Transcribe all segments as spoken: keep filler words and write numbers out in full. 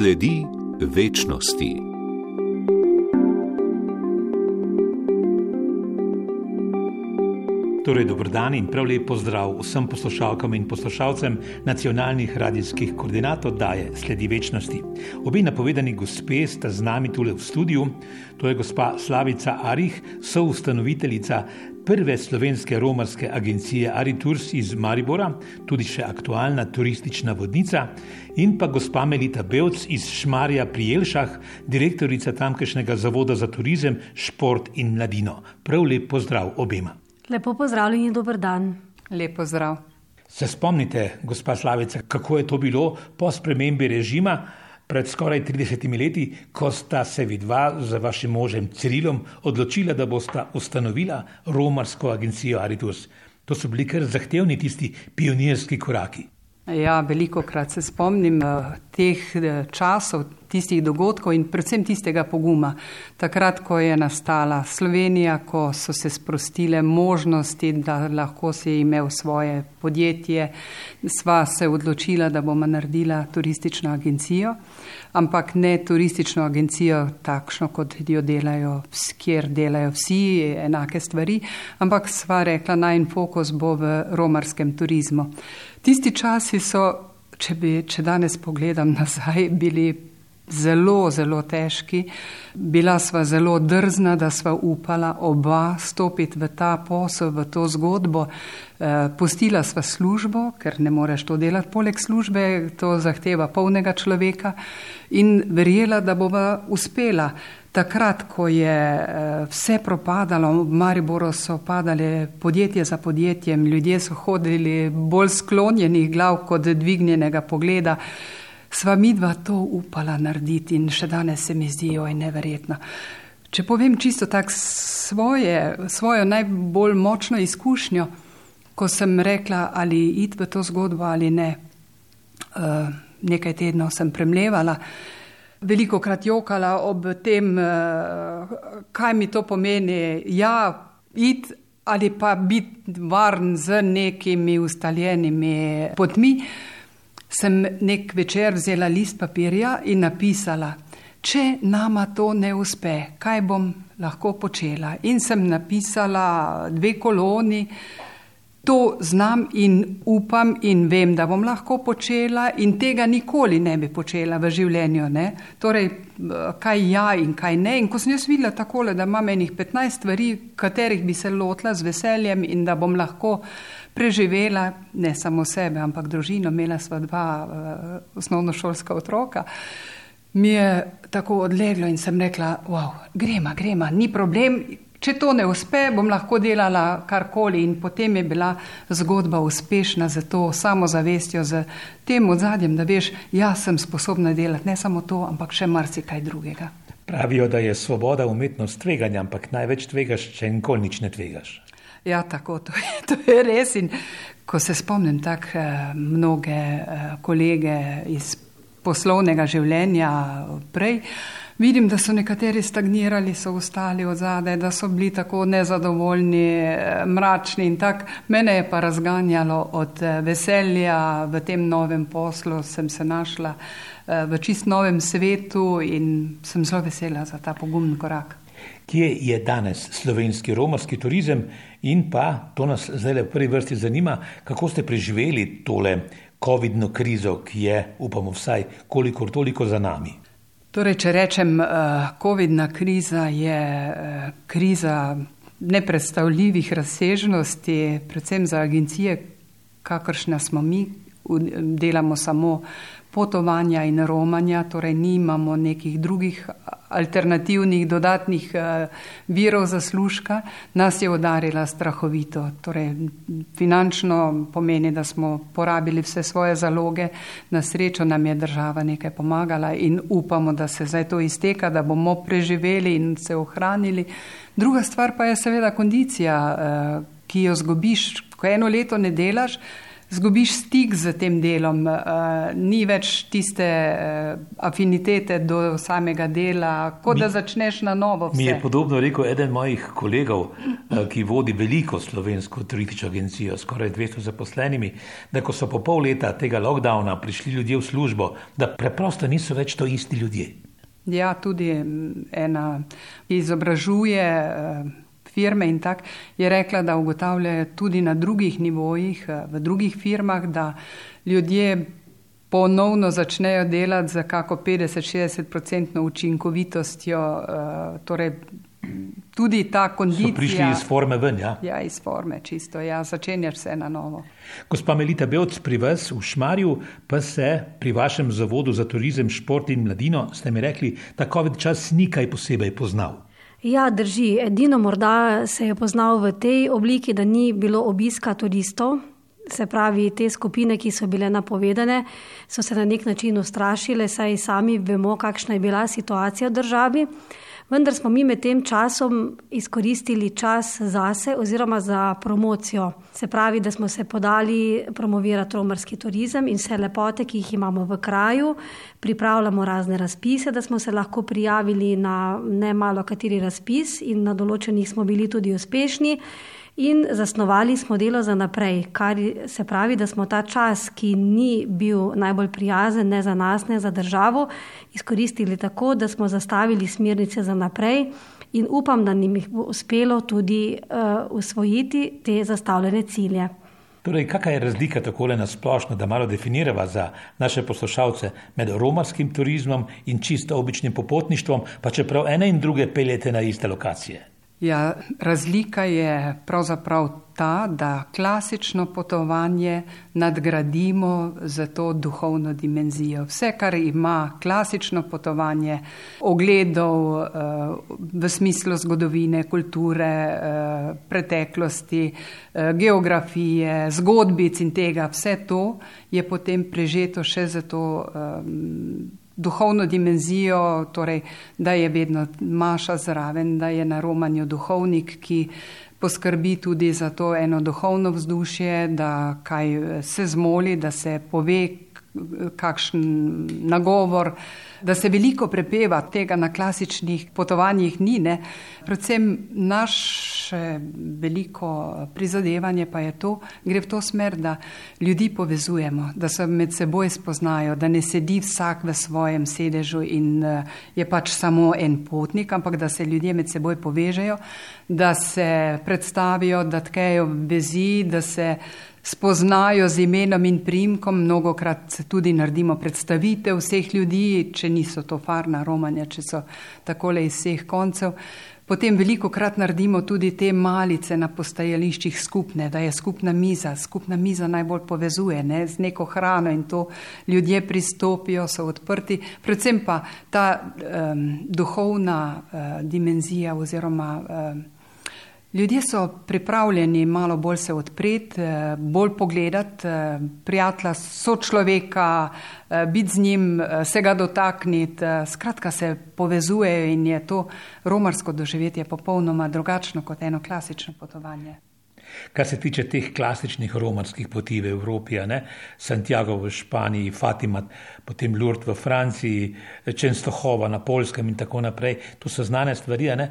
Sledi večnosti. Torej, dobrodan in prav lep pozdrav vsem poslušalkam in poslušalcem nacionalnih radijskih koordinat oddaje Sledi večnosti. Obe napovedani gospe sta z nami tule v studiu. To je gospa Slavica Arih, soustanoviteljica prve slovenske romarske agencije Aritours iz Maribora, tudi še aktualna turistična vodnica, in pa gospa Melita Bevc iz Šmarja pri Jelšah, direktorica tamkajšnjega zavoda za turizem, šport in mladino. Prav lep pozdrav obema. Lepo pozdravljeni in dober dan. Lep pozdrav. Se spomnite, gospa Slavica, kako je to bilo po spremembi režima pred skoraj tridesetimi leti, ko sta se vidva z vašim možem Cirilom odločila, da bosta ustanovila romarsko agencijo Aritours. To so bili kar zahtevni tisti pionirski koraki. Ja, velikokrat se spomnim teh časov, tistih dogodkov in predvsem tistega poguma. Takrat, ko je nastala Slovenija, ko so se sprostile možnosti, da lahko si imel svoje podjetje, sva se odločila, da bomo naredila turistično agencijo, ampak ne turistično agencijo takšno, kot jo delajo, kjer delajo vsi enake stvari, ampak sva rekla, najin fokus bo v romarskem turizmu. Tisti časi so, če, bi, če danes pogledam nazaj, bili zelo, zelo težki. Bila sva zelo drzna, da sva upala oba stopiti v ta posel, v to zgodbo. E, pustila sva službo, ker ne moreš to delati poleg službe, to zahteva polnega človeka in verjela, da bova uspela. Takrat, ko je vse propadalo, v Mariboru so padale podjetje za podjetjem, ljudje so hodili bolj sklonjenih glav kot dvignjenega pogleda, sva midva to upala narediti in še danes se mi zdi joj neverjetno. Če povem čisto tak svoje, svojo najbolj močno izkušnjo, ko sem rekla, ali iti v to zgodbo ali ne, nekaj tednov sem premlevala, veliko krat jokala ob tem, kaj mi to pomeni, ja, iti ali pa biti varen z nekimi ustaljenimi potmi, sem nek večer vzela list papirja in napisala, če nama to ne uspe, kaj bom lahko počela. In sem napisala dve koloni, to znam in upam in vem, da bom lahko počela in tega nikoli ne bi počela v življenju. Ne? Torej, kaj ja in kaj ne. In ko sem jaz videla takole, da imam enih petnajst stvari, katerih bi se lotila z veseljem in da bom lahko preživela, ne samo sebe, ampak družino, imela sva dva uh, osnovnošolska otroka, mi je tako odleglo in sem rekla, wow, grema, grema, ni problem. Če to ne uspe, bom lahko delala karkoli in potem je bila zgodba uspešna za to samozavestjo, z tem odzadjem, da veš, jaz sem sposobna delati ne samo to, ampak še marsikaj drugega. Pravijo, da je svoboda umetnost tveganja, ampak največ tvegaš, če nikoli nič ne tvegaš. Ja, tako, to je, to je res in ko se spomnim tak mnoge kolege iz poslovnega življenja prej, vidim, da so nekateri stagnirali, so ostali od zadaj, da so bili tako nezadovoljni, mračni in tak. Mene je pa razganjalo od veselja v tem novem poslu, sem se našla v čist novem svetu in sem zelo vesela za ta pogumen korak. Kje je danes slovenski romarski turizem in pa, to nas zdaj v prvi vrsti zanima, kako ste preživeli tole covidno krizo, ki je, upamo vsaj, kolikor toliko za nami? Torej, če rečem, covidna kriza je kriza nepredstavljivih razsežnosti, predvsem za agencije, kakršna smo mi, delamo samo potovanja in romanja, torej nimamo nekih drugih alternativnih dodatnih virov zaslužka, nas je udarila strahovito. Torej, finančno pomeni, da smo porabili vse svoje zaloge, na srečo nam je država nekaj pomagala in upamo, da se zdaj to izteka, da bomo preživeli in se ohranili. Druga stvar pa je seveda kondicija, ki jo zgubiš, ko eno leto ne delaš, zgubiš stik z tem delom, uh, ni več tiste uh, afinitete do samega dela, kot mi, da začneš na novo vse. Mi je podobno rekel eden mojih kolegov, uh, ki vodi veliko slovensko turistično agencijo, skoraj dvesto zaposlenimi, da ko so po pol leta tega lockdowna prišli ljudje v službo, da preprosto niso več to isti ljudje. Ja, tudi ena izobražuje uh, firme in tak, je rekla, da ugotavljajo tudi na drugih nivojih, v drugih firmah, da ljudje ponovno začnejo delati za kako petdeset do šestdeset procentno učinkovitostjo, torej tudi ta kondicija. So prišli iz forme ven, ja? Ja, iz forme, čisto, ja, začenjaš vse na novo. Gospa Melita Bevc, pri vas v Šmarju pa se pri vašem zavodu za turizem, šport in mladino, ste mi rekli, ta COVID čas ni kaj posebej poznal. Ja, drži. Edino morda se je poznal v tej obliki, da ni bilo obiska turistov, se pravi te skupine, ki so bile napovedane, so se na nek način ustrašile, saj sami vemo, kakšna je bila situacija v državi. Vendar smo mi med tem časom izkoristili čas zase oziroma za promocijo. Se pravi, da smo se podali promovirati romarski turizem in vse lepote, ki jih imamo v kraju. Pripravljamo razne razpise, da smo se lahko prijavili na ne malo kateri razpis in na določenih smo bili tudi uspešni. In zasnovali smo delo za naprej, kar se pravi, da smo ta čas, ki ni bil najbolj prijazen, ne za nas, ne za državo, izkoristili tako, da smo zastavili smernice za naprej in upam, da nam jih bo uspelo tudi uh, usvojiti te zastavljene cilje. Torej, kakšna je razlika takole na splošno, da malo definirava za naše poslušalce med romarskim turizmom in čisto običnim popotništvom, pa čeprav ene in druge peljete na iste lokacije? Ja, razlika je pravzaprav ta, da klasično potovanje nadgradimo za to duhovno dimenzijo. Vse, kar ima klasično potovanje, ogledov v smislu zgodovine, kulture, preteklosti, geografije, zgodbic in tega, vse to je potem prežeto še za to duhovno dimenzijo, torej, da je vedno maša zraven, da je na romanju duhovnik, ki poskrbi tudi za to eno duhovno vzdušje, da kaj se zmoli, da se pove kakšen nagovor, da se veliko prepeva, tega na klasičnih potovanjih ni, ne. Predvsem naše veliko prizadevanje pa je to, gre v to smer, da ljudi povezujemo, da se med seboj spoznajo, da ne sedi vsak v svojem sedežu in je pač samo en potnik, ampak da se ljudje med seboj povežejo, da se predstavijo, da tkejo vezi, da se spoznajo z imenom in priimkom, mnogokrat tudi naredimo predstavitev vseh ljudi, če niso to farna romanja, če so takole iz vseh koncev. Potem veliko krat naredimo tudi te malice na postajališčih skupne, da je skupna miza. Skupna miza najbolj povezuje, ne, z neko hrano in to ljudje pristopijo, so odprti. Predvsem pa ta um, duhovna uh, dimenzija oziroma um, ljudje so pripravljeni malo bolj se odpreti, bolj pogledati, prijatelja, sočloveka, biti z njim, se ga dotakniti, skratka se povezujejo in je to romarsko doživetje popolnoma drugačno kot eno klasično potovanje. Kar se tiče teh klasičnih romarskih poti v Evropi, ne? Santiago v Španiji, Fatima, potem Lourdes v Franciji, Częstochowa na Poljskem in tako naprej, to so znane stvari, ne?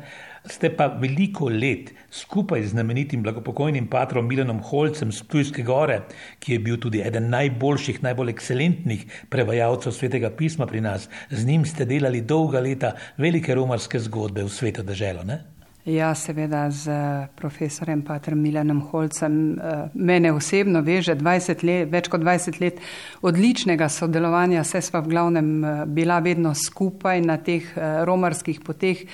Ste pa veliko let skupaj z znamenitim blagopokojnim patrom Milanom Holcem z Ptujske Gore, ki je bil tudi eden najboljših, najbolj ekscelentnih prevajalcev Svetega pisma pri nas, z njim ste delali dolga leta velike romarske zgodbe v Sveto deželo, ne? Ja, seveda z profesorjem patrom Milanom Holcem. Mene osebno veže dvajset let, več kot dvajset let odličnega sodelovanja, saj sva v glavnem bila vedno skupaj na teh romarskih poteh.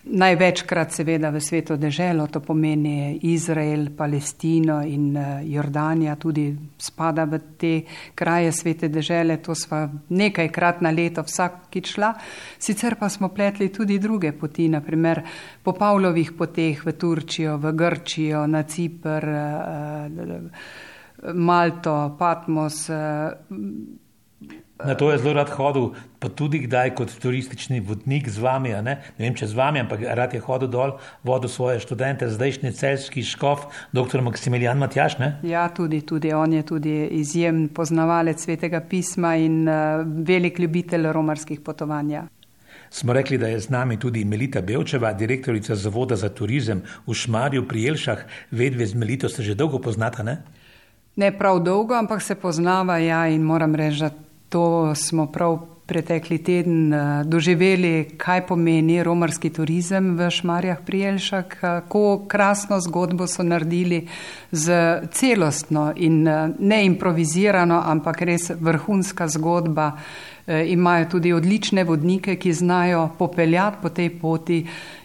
Največkrat seveda v Sveto deželo, to pomeni Izrael, Palestino in Jordanija tudi spada v te kraje Svete dežele, to sva nekajkrat na leto vsakič šla. Sicer pa smo pletli tudi druge poti, naprimer po Pavlovih poteh v Turčijo, v Grčijo, na Cipr, Malto, Patmos. Na to je zelo rad hodil, pa tudi kdaj kot turistični vodnik z vami, ne? Ne vem, če z vami, ampak rad je hodil dol, vodil svoje študente, zdajšnji celjski škof, doktor Maksimilijan Matjaž, ne? Ja, tudi, tudi on je tudi izjemen poznavalec Svetega pisma in uh, velik ljubitelj romarskih potovanj. Smo rekli, da je z nami tudi Melita Bevčeva, direktorica Zavoda za turizem v Šmarju pri Jelšah. Vedve z Melito se že dolgo poznata, ne? Ne prav dolgo, ampak se poznava, ja, in moram reči, da to smo prav pretekli teden doživeli, kaj pomeni romarski turizem v Šmarjah pri Jelšah, kako krasno zgodbo so naredili z celostno in ne improvizirano, ampak res vrhunska zgodba. Imajo tudi odlične vodnike, ki znajo popeljati po tej poti.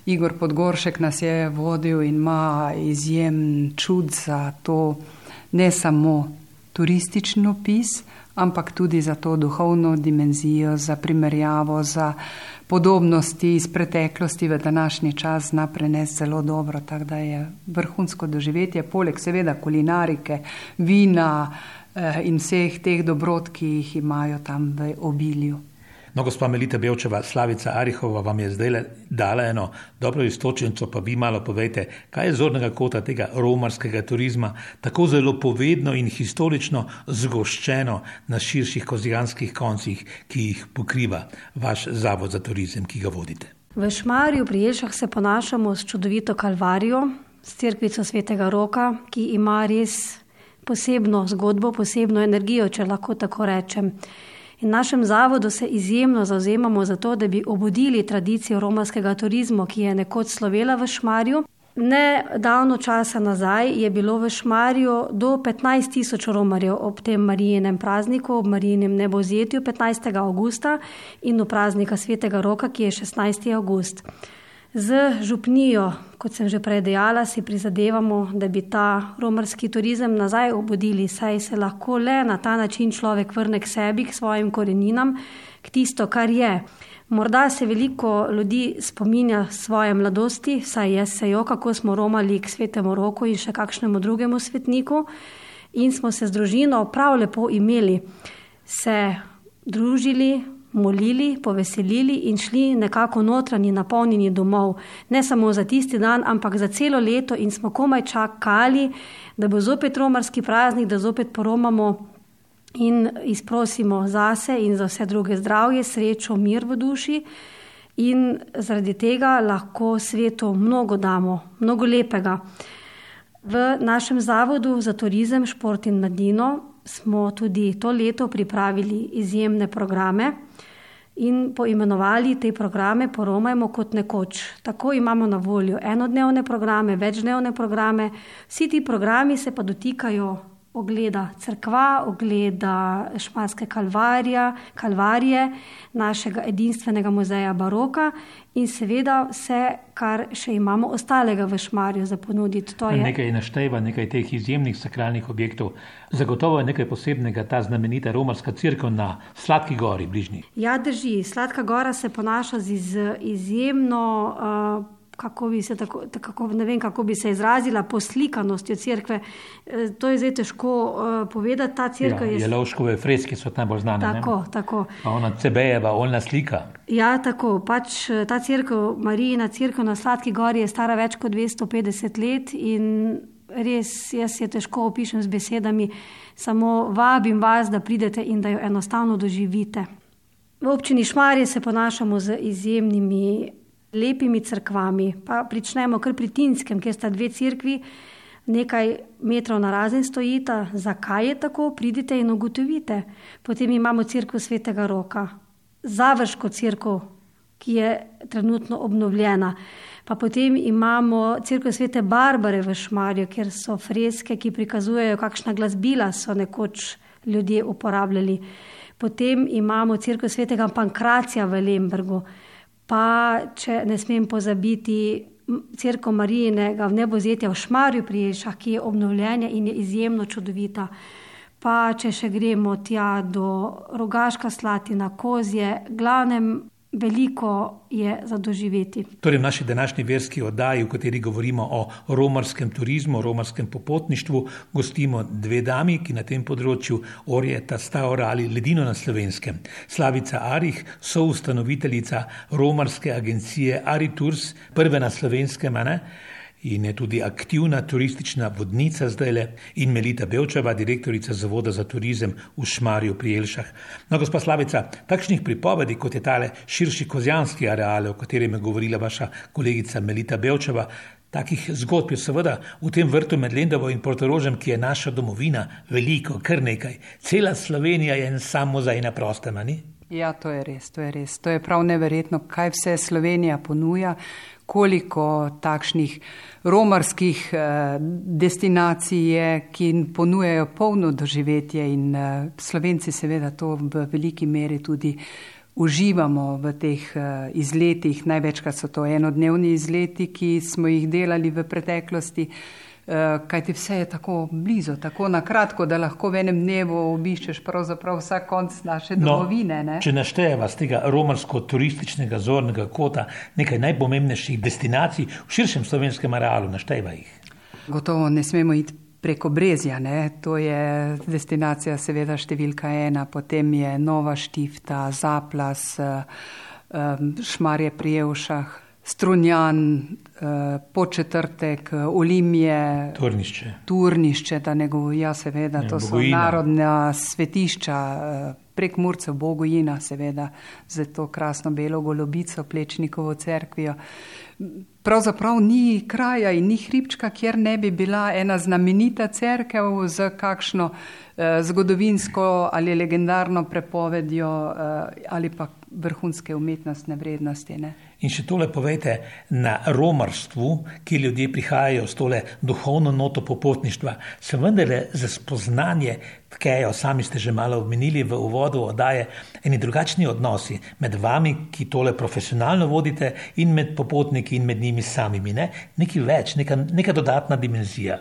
Igor Podgoršek nas je vodil in ima izjemen čud za to, ne samo turistični opis, ampak tudi za to duhovno dimenzijo, za primerjavo, za podobnosti iz preteklosti v današnji čas zna prenesti zelo dobro, tako da je vrhunsko doživetje, poleg seveda kulinarike, vina eh, in vseh teh dobrot, ki jih imajo tam v obilju. No, gospa Melita Bevčeva, Slavica Arihova vam je zdaj dala eno dobro istočnico, pa vi malo povejte, kaj je zornega kota tega romarskega turizma, tako zelo povedno in historično zgoščeno na širših kozjanskih koncih, ki jih pokriva vaš Zavod za turizem, ki ga vodite. V Šmarju pri Jelšah se ponašamo s čudovito Kalvarijo, s cerkvico Svetega Roka, ki ima res posebno zgodbo, posebno energijo, če lahko tako rečem. In v našem zavodu se izjemno zavzemamo za to, da bi obudili tradicijo romarskega turizma, ki je nekoč slovela v Šmarju. Ne davno časa nazaj je bilo v Šmarju do petnajst tisoč romarjev ob tem Marijinem prazniku, ob Marijinem nebovzetju petnajstega avgusta in v praznika Svetega Roka, ki je šestnajstega avgust. Z župnijo, kot sem že prej dejala, si prizadevamo, da bi ta romarski turizem nazaj obudili, saj se lahko le na ta način človek vrne k sebi, k svojim koreninam, k tisto, kar je. Morda se veliko ljudi spominja svoje mladosti, saj jaz se jo, kako smo romali k Svetemu Roku in še kakšnemu drugemu svetniku in smo se z družino prav lepo imeli, se družili, molili, poveselili in šli nekako notranji napolnjeni domov. Ne samo za tisti dan, ampak za celo leto in smo komaj čakali, da bo zopet romarski praznik, da zopet poromamo in izprosimo zase in za vse druge zdravje, srečo, mir v duši in zaradi tega lahko svetu mnogo damo, mnogo lepega. V našem Zavodu za turizem, šport in mladino smo tudi to leto pripravili izjemne programe in poimenovali te programe Poromajmo kot nekoč. Tako imamo na voljo enodnevne programe, večdnevne programe. Vsi ti programi se pa dotikajo ogleda cerkva, ogleda Šmarske kalvarija, kalvarije, našega edinstvenega muzeja baroka in seveda vse, kar še imamo ostalega v Šmarju za ponuditi. To je... Nekaj našteva, nekaj teh izjemnih sakralnih objektov. Zagotovo je nekaj posebnega ta znamenita romarska cerkev na Sladki gori bližnji. Ja, drži. Sladka gora se ponaša z iz, izjemno... Uh, Kako bi se tako, tako, ne vem, kako bi se izrazila, poslikanosti cerkve. To je zdaj težko uh, povedati. Ta cerkev ja, je... Jelovškove freske so najbolj znane. Tako, ne? tako. Pa ona Cebejeva, oljna slika. Ja, tako. Pač ta cerkev, Marijina cerkev na Sladki gori je stara več kot dvesto petdeset let in res jaz je težko opišem z besedami. Samo vabim vas, da pridete in da jo enostavno doživite. V občini Šmarje se ponašamo z izjemnimi lepimi cerkvami, pa pričnemo kar pri Tinskem, kjer sta dve cerkvi, nekaj metrov narazen stojita. Zakaj je tako? Pridite in ugotovite. Potem imamo cerkev Svetega Roka, Završko cerkev, ki je trenutno obnovljena. Pa potem imamo cerkev Svete Barbare v Šmarju, kjer so freske, ki prikazujejo, kakšna glasbila so nekoč ljudje uporabljali. Potem imamo cerkev Svetega Pankracija v Lembergu. Pa, če ne smem pozabiti, cerkev Marijinega nebovzetja v Šmarju pri Jelšah, ki je obnovljena in je izjemno čudovita. Pa, če še gremo tja do Rogaška Slatina, Kozje, glavnem veliko je za doživeti. Torej v naši današnji verski oddaji, v kateri govorimo o romarskem turizmu, o romarskem popotništvu, gostimo dve dami, ki na tem področju orjeta sta orali ledino na Slovenskem. Slavica Arih, soustanoviteljica romarske agencije Aritours, prve na Slovenskem, ne? In je tudi aktivna turistična vodnica zdajle, in Melita Bevčeva, direktorica Zavoda za turizem v Šmarju pri Jelšah. No, gospa Slavica, takšnih pripovedi, kot je tale širši kozjanski areal, o katerem je govorila vaša kolegica Melita Bevčeva, takih zgodb je seveda v tem vrtu med Lendovo in Portorožem, ki je naša domovina, veliko, kar nekaj. Cela Slovenija je en sam muzej na prostem, a ni? Ja, to je res, to je res. To je prav neverjetno, kaj vse Slovenija ponuja, koliko takšnih romarskih eh, destinacij je, ki ponujajo polno doživetje in eh, Slovenci seveda to v veliki meri tudi uživamo v teh eh, izletih. Največkrat so to enodnevni izleti, ki smo jih delali v preteklosti, eh, kajti vse je tako blizu, tako na kratko, da lahko v enem dnevu obiščeš pravzaprav vsak konc naše domovine. No, ne? Če naštejeva z tega romarsko-turističnega zornega kota nekaj najpomembnejših destinacij v širšem slovenskem arealu, naštejva jih. Gotovo ne smemo iti preko Brezja, ne? To je destinacija seveda številka ena, potem je Nova Štifta, Zaplas, Šmarje pri Jelšah, Strunjan, Podčetrtek, Olimje, Turnišče, Turnišče, da ne govorim, ja seveda, to so narodna svetišča, Prekmurcev, Bogojina seveda, za to krasno belo golobico, Plečnikovo cerkvijo. Pravzaprav ni kraja in ni hribčka, kjer ne bi bila ena znamenita cerkev z kakšno eh, zgodovinsko ali legendarno prepovedjo eh, ali pa vrhunske umetnostne vrednosti. Ne? In še tole povejte, na romarstvu, ki ljudje prihajajo s tole duhovno noto popotništva, se vendarle za spoznanje tkejo, sami ste že malo omenili v uvodu oddaje, eni drugačni odnosi med vami, ki tole profesionalno vodite, in med popotniki in med njimi samimi. Ne? Nekaj več, neka, neka dodatna dimenzija.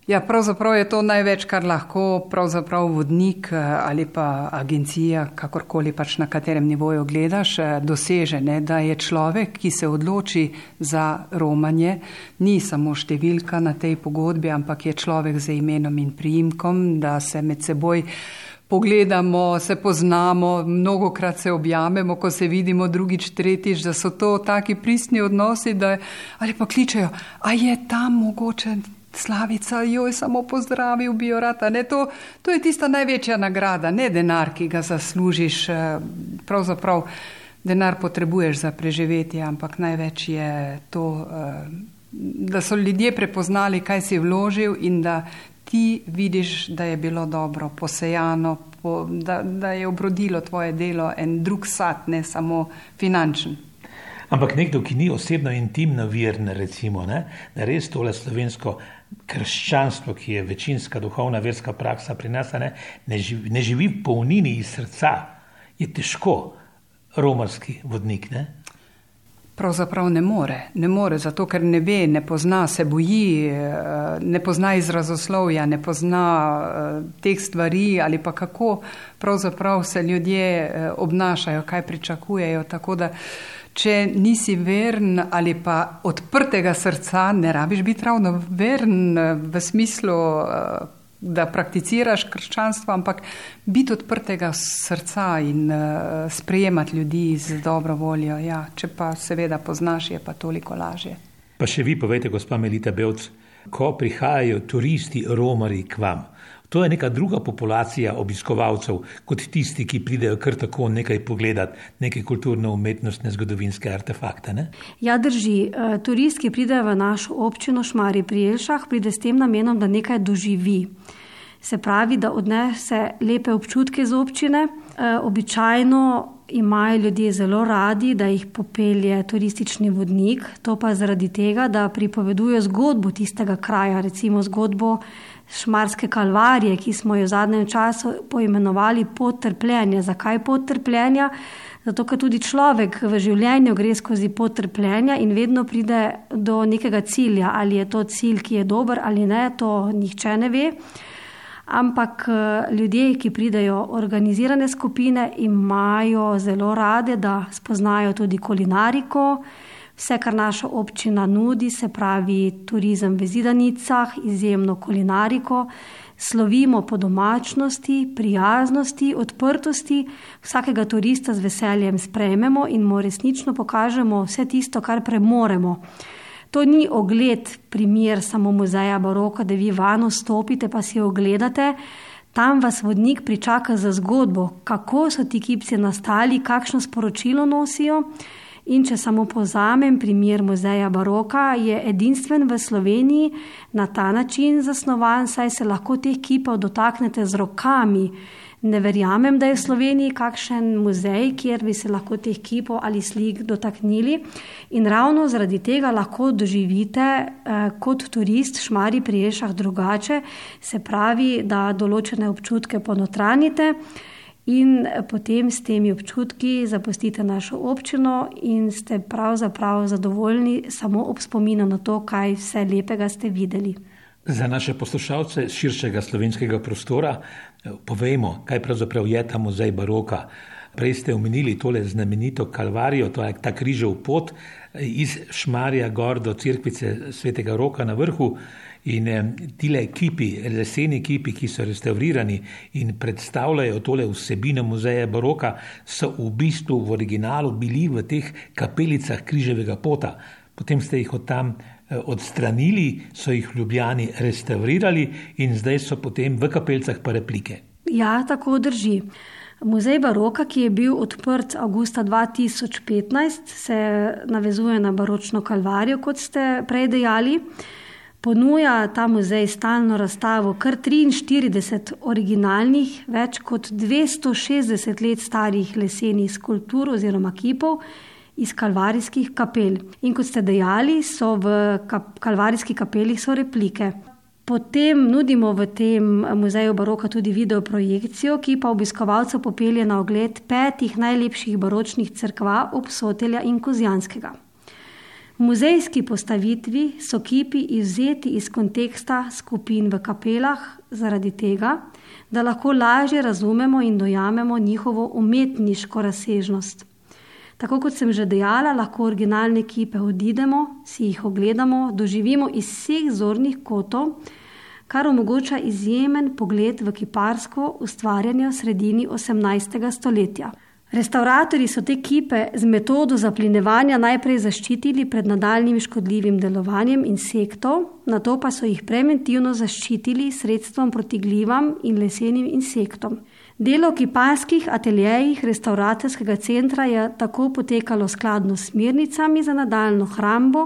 Ja, pravzaprav je to največ, kar lahko pravzaprav vodnik ali pa agencija, kakorkoli pač na katerem nivoju gledaš, doseže, ne, da je človek, ki se odloči za romanje, ni samo številka na tej pogodbi, ampak je človek z imenom in priimkom, da se med seboj pogledamo, se poznamo, mnogokrat se objamemo, ko se vidimo drugič, tretjič, da so to taki pristni odnosi, da ali pa kličejo, a je tam mogoče Slavica, joj, samo pozdravil bi jo rad. Ne, to, to je tista največja nagrada, ne denar, ki ga zaslužiš. Pravzaprav denar potrebuješ za preživetje, ampak največ je to, da so ljudje prepoznali, kaj si vložil in da ti vidiš, da je bilo dobro posejano, da, da je obrodilo tvoje delo en drug sad, ne samo finančen. Ampak nekdo, ki ni osebno intimno veren, recimo, ne, da res tole slovensko krščanstvo, ki je večinska duhovna verska praksa pri nas, ne, ne, živi, ne živi v polnini iz srca, je težko romarski vodnik, ne? Pravzaprav ne more, ne more, zato ker ne ve, ne pozna, se boji, ne pozna izrazoslovja, ne pozna teh stvari ali pa kako pravzaprav se ljudje obnašajo, kaj pričakujejo, tako da če nisi veren ali pa odprtega srca, ne rabiš biti ravno veren v smislu, da prakticiraš krščanstvo, ampak biti odprtega srca in sprejemati ljudi z dobro voljo. Ja, če pa seveda poznaš, je pa toliko lažje. Pa še vi povejte, gospa Melita Bevc, ko prihajajo turisti romari k vam, to je neka druga populacija obiskovalcev, kot tisti, ki pridejo kar tako nekaj pogledati, neke kulturno-umetnostne zgodovinske artefakte, ne? Ja, drži. Turist, ki pride v našo občino Šmarje pri Jelšah, pride s tem namenom, da nekaj doživi. Se pravi, da odnese lepe občutke z občine. Običajno imajo ljudje zelo radi, da jih popelje turistični vodnik, to pa zaradi tega, da pripoveduje zgodbo tistega kraja, recimo zgodbo Šmarske kalvarije, ki smo jo v zadnjem času poimenovali pot trpljenja. Zakaj pot trpljenja? Zato, ker tudi človek v življenju gre skozi pot trpljenja in vedno pride do nekega cilja. Ali je to cilj, ki je dober ali ne, to nihče ne ve. ampak ljudje, ki pridejo organizirane skupine, imajo zelo rade, da spoznajo tudi kulinariko, vse, kar naša občina nudi, se pravi turizem v Zidanicah, izjemno kulinariko, slovimo po domačnosti, prijaznosti, odprtosti, vsakega turista z veseljem sprejmemo in mu resnično pokažemo vse tisto, kar premoremo. To ni ogled, primer samo muzeja baroka, da vi vano stopite pa si ogledate. Tam vas vodnik pričaka za zgodbo, kako so ti kipci nastali, kakšno sporočilo nosijo. In če samo povzamem primer muzeja baroka, je edinstven v Sloveniji na ta način zasnovan, saj se lahko teh kipov dotaknete z rokami. Ne verjamem, da je v Sloveniji kakšen muzej, kjer bi se lahko teh kipov ali slik dotaknili. In ravno zaradi tega lahko doživite eh, kot turist Šmarij pri Jelšah drugače, se pravi, da določene občutke ponotranjite in potem s temi občutki zapustite našo občino in ste pravzaprav zadovoljni samo ob spominu na to, kaj vse lepega ste videli. Za naše poslušalce širšega slovenskega prostora povejmo, kaj pravzaprav je ta muzej baroka. Prej ste omenili tole znamenito Kalvarijo, to je ta križev pot iz Šmarja gor do cerkvice Svetega Roka na vrhu. In tile kipi, leseni kipi, ki so restaurirani in predstavljajo tole vsebino muzeja baroka, so v bistvu v originalu bili v teh kapelicah križevega pota. Potem ste jih od tam odstranili, so jih v Ljubljani restaurirali in zdaj so potem v kapelicah pa replike. Ja, tako drži. Muzej baroka, ki je bil odprt avgusta dva tisoč petnajst, se navezuje na baročno Kalvarijo, kot ste prej dejali. Ponuja ta muzej stalno razstavo kar triinštirideset originalnih, več kot dvesto šestdeset let starih lesenih skulptur oziroma kipov iz kalvarijskih kapel. In kot ste dejali, so v kap- kalvarijskih kapelih so replike. Potem nudimo v tem muzeju baroka tudi video projekcijo, ki pa obiskovalcev popelje na ogled petih najlepših baročnih cerkva Obsotelja in Kozjanskega. V muzejski postavitvi so kipi izvzeti iz konteksta skupin v kapelah zaradi tega, da lahko lažje razumemo in dojamemo njihovo umetniško razsežnost. Tako kot sem že dejala, lahko originalne kipe odidemo, si jih ogledamo, doživimo iz vseh zornih kotov, kar omogoča izjemen pogled v kiparsko ustvarjanje v sredini osemnajstega stoletja. Restauratorji so te kipe z metodo zaplinevanja najprej zaščitili pred nadaljnjim škodljivim delovanjem insektov, nato pa so jih preventivno zaščitili s sredstvom proti glivam in lesenim insektom. Delo v kiparskih ateljejih restauratorskega centra je tako potekalo skladno s smernicami za nadaljnjo hrambo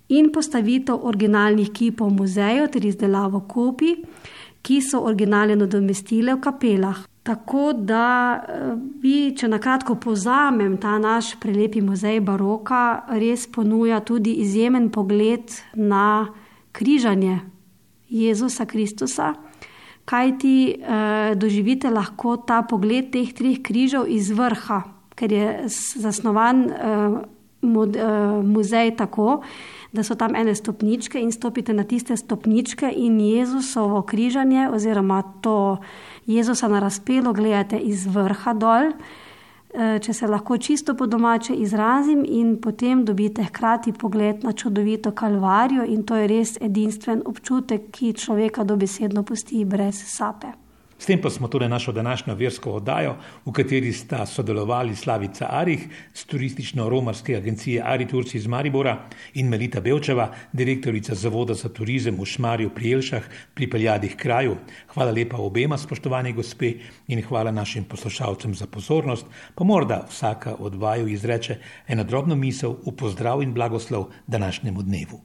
in postavitev originalnih kipov v muzeju ter izdelavo kopij, ki so originale nadomestile v kapelah. Tako da bi, če nakratko povzamem, ta naš prelepi muzej baroka res ponuja tudi izjemen pogled na križanje Jezusa Kristusa, kajti eh, doživite lahko ta pogled teh treh križev iz vrha, ker je zasnovan eh, mod, eh, muzej tako, da so tam ene stopničke in stopite na tiste stopničke in Jezusovo križanje oziroma to Jezusa na razpelo gledate iz vrha dol, če se lahko čisto po domače izrazim, in potem dobite hkrati pogled na čudovito Kalvarijo in to je res edinstven občutek, ki človeka dobesedno pusti brez sape. S tem pa smo torej našo današnjo versko oddajo, v kateri sta sodelovali Slavica Arih z turistično-romarske agencije Ariturci iz Maribora in Melita Bevčeva, direktorica Zavoda za turizem v Šmarju pri Jelšah, pripeljali k kraju. Hvala lepa obema, spoštovani gospe, in hvala našim poslušalcem za pozornost, pa morda vsaka od vaju izreče eno drobno misel v pozdrav in blagoslov današnjemu dnevu.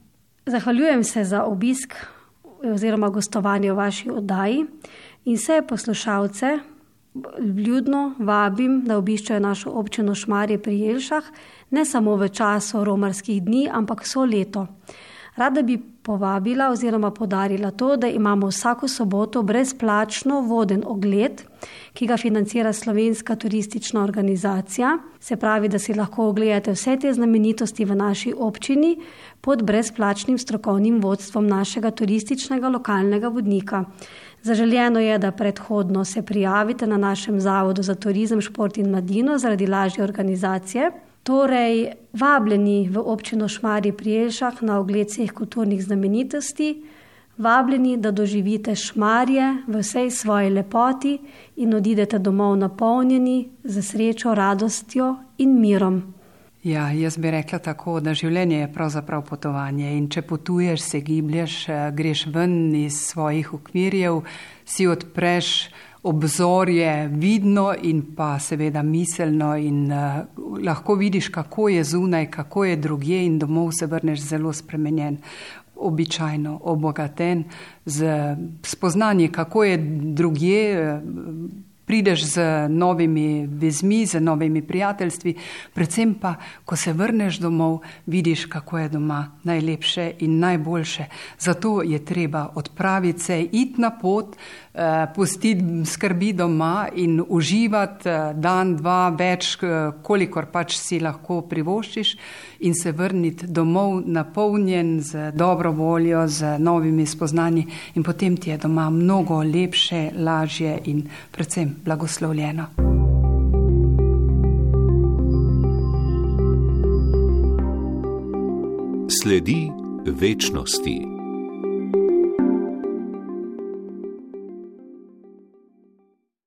Zahvaljujem se za obisk oziroma gostovanje v vaši oddaji. In vse poslušalce vljudno vabim, da obiščajo našo občino Šmarje pri Jelšah, ne samo v času romarskih dni, ampak vso leto. Rada bi povabila oziroma podarila to, da imamo vsako soboto brezplačno voden ogled, ki ga financira Slovenska turistična organizacija. Se pravi, da si lahko ogledate vse te znamenitosti v naši občini pod brezplačnim strokovnim vodstvom našega turističnega lokalnega vodnika. Zaželjeno je, da predhodno se prijavite na našem Zavodu za turizem, šport in mladino zaradi lažje organizacije. Torej, vabljeni v občino Šmarje pri Jelšah na ogled vseh kulturnih znamenitosti, vabljeni, da doživite Šmarje v vsej svoji lepoti in odidete domov napolnjeni z srečo, radostjo in mirom. Ja, jaz bi rekla tako, da življenje je pravzaprav potovanje in če potuješ, se giblješ, greš ven iz svojih okvirjev, si odpreš obzorje vidno in pa seveda miselno in uh, lahko vidiš, kako je zunaj, kako je drugje in domov se vrneš zelo spremenjen, običajno obogaten z spoznanjem, kako je drugje, prideš z novimi vezmi, z novimi prijateljstvi, predvsem pa, ko se vrneš domov, vidiš, kako je doma najlepše in najboljše. Zato je treba odpraviti se, iti na pot, pustiti skrbi doma in uživati dan, dva, več, kolikor pač si lahko privoščiš in se vrniti domov napolnjen z dobro voljo, z novimi spoznanji in potem ti je doma mnogo lepše, lažje in predvsem blagoslovljeno. Sledi večnosti.